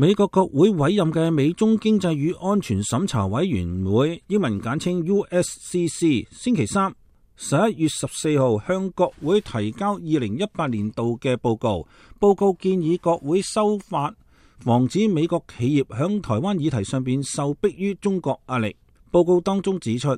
美國國會委任嘅美中經濟與安全審查委員會，英文簡稱 USCC， 星期三11月14號向國會提交2018年度嘅報告。報告建議國會修法，防止美國企業響台灣議題上邊受迫於中國壓力。報告當中指出，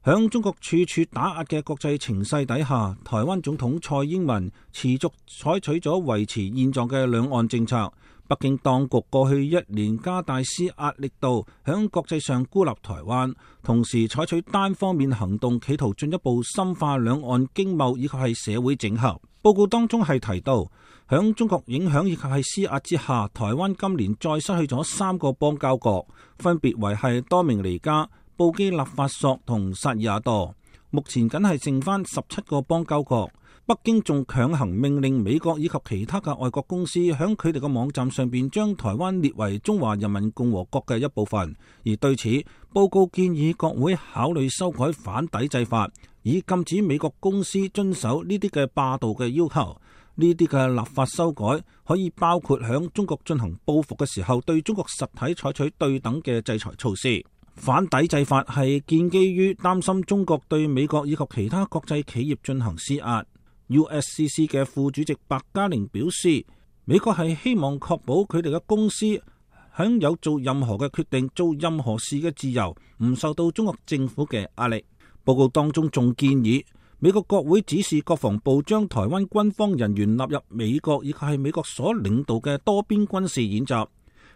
響中國處處打壓嘅國際情勢底下，台灣總統蔡英文持續採取咗維持現狀嘅兩岸政策。北京當局過去1年加大施壓力度，響國際上孤立台灣，同時採取單方面行動，企圖進一步深化兩岸經貿以及係社會整合。報告當中係提到，響中國影響以及係施壓之下，台灣今年再失去咗3個邦交國，分別為係多明尼加、布基納法索同薩爾瓦多。目前僅係剩翻17個邦交國。北京仲強行命令美國以及其他嘅外國公司響佢哋嘅網站上邊將台灣列為中華人民共和國嘅一部分。而對此，報告建議國會考慮修改反抵制法，以禁止美國公司遵守呢啲嘅霸道嘅要求。呢啲嘅立法修改可以包括響中國進行報復嘅時候，對中國實體採取對等嘅制裁措施。反抵制法係建基於擔心中國對美國以及其他國際企業進行施壓。USCC 嘅副主席白嘉玲表示，美國係希望確保佢哋嘅公司享有做任何嘅決定、做任何事嘅自由，唔受到中國政府嘅壓力。報告當中仲建議美國國會指示國防部將台灣軍方人員納入美國以及係美國所領導嘅多邊軍事演習，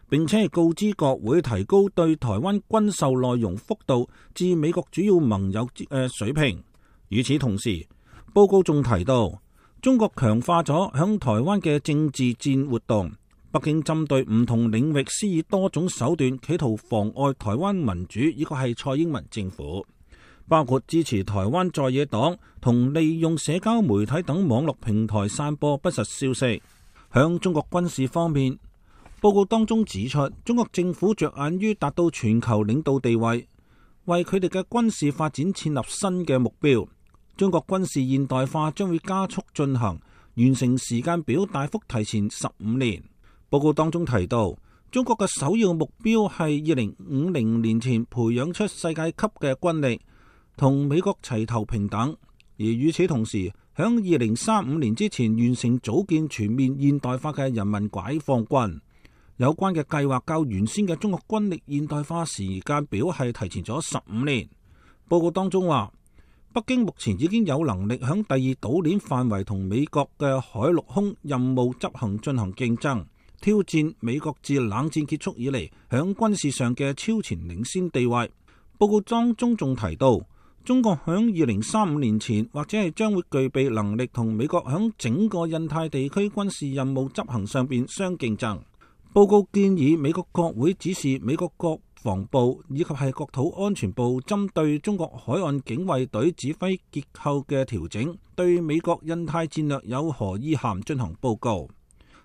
並且係告知國會提高對台灣軍售內容幅度至美國主要盟友水平。與此同時，報告仲提到，中國強化咗響台灣嘅政治戰活動，北京針對唔同領域施以多種手段，企圖妨礙台灣民主，以及係蔡英文政府，包括支持台灣在野黨同利用社交媒體等網絡平台散播不實消息。響中國軍事方面，報告當中指出，中國政府着眼於達到全球領導地位，為佢哋嘅軍事發展設立新嘅目標。中國軍事現代化將會加速進行，完成時間表大幅提前15年。報告當中提到，中國嘅首要目標係2050年前培養出世界級嘅軍力，同美國齊頭平等。而與此同時，響2035年之前完成組建全面現代化嘅人民解放軍。有關嘅計劃較原先嘅中國軍力現代化時間表係提前咗15年。報告當中話，北京目前已經有能力響第二島鏈範圍同美國嘅海陸空任務執行進行競爭，挑戰美國自冷戰結束以嚟響軍事上嘅超前領先地位。報告當中仲提到，中國響2035年前或者係將會具備能力同美國響整個印太地區軍事任務執行上邊相競爭。報告建議美國國會指示美國國防部以及係國土安全部針對中國海岸警衛隊指揮結構嘅調整，對美國印太戰略有何意涵進行報告。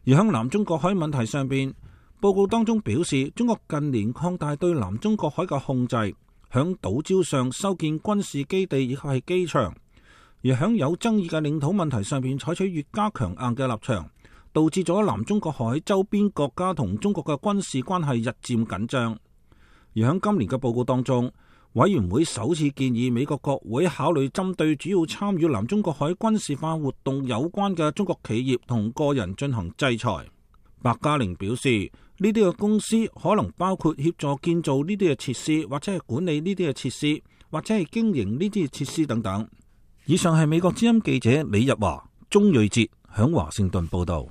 而喺南中國海問題上邊，報告當中表示，中國近年擴大對南中國海嘅控制，響島礁上修建軍事基地以及係機場，而響有爭議嘅領土問題上邊採取越加強硬嘅立場，導致咗南中國海周邊國家同中國嘅軍事關係日漸緊張。而喺今年嘅報告當中，委員會首次建議美國國會考慮針對主要參與南中國海軍事化活動有關嘅中國企業同個人進行制裁。白嘉玲表示，呢啲嘅公司可能包括協助建造呢啲嘅設施，或者係管理呢啲嘅設施，或者係經營呢啲嘅設施等等。以上係美國之音記者李日華、鍾瑞哲響華盛頓報道。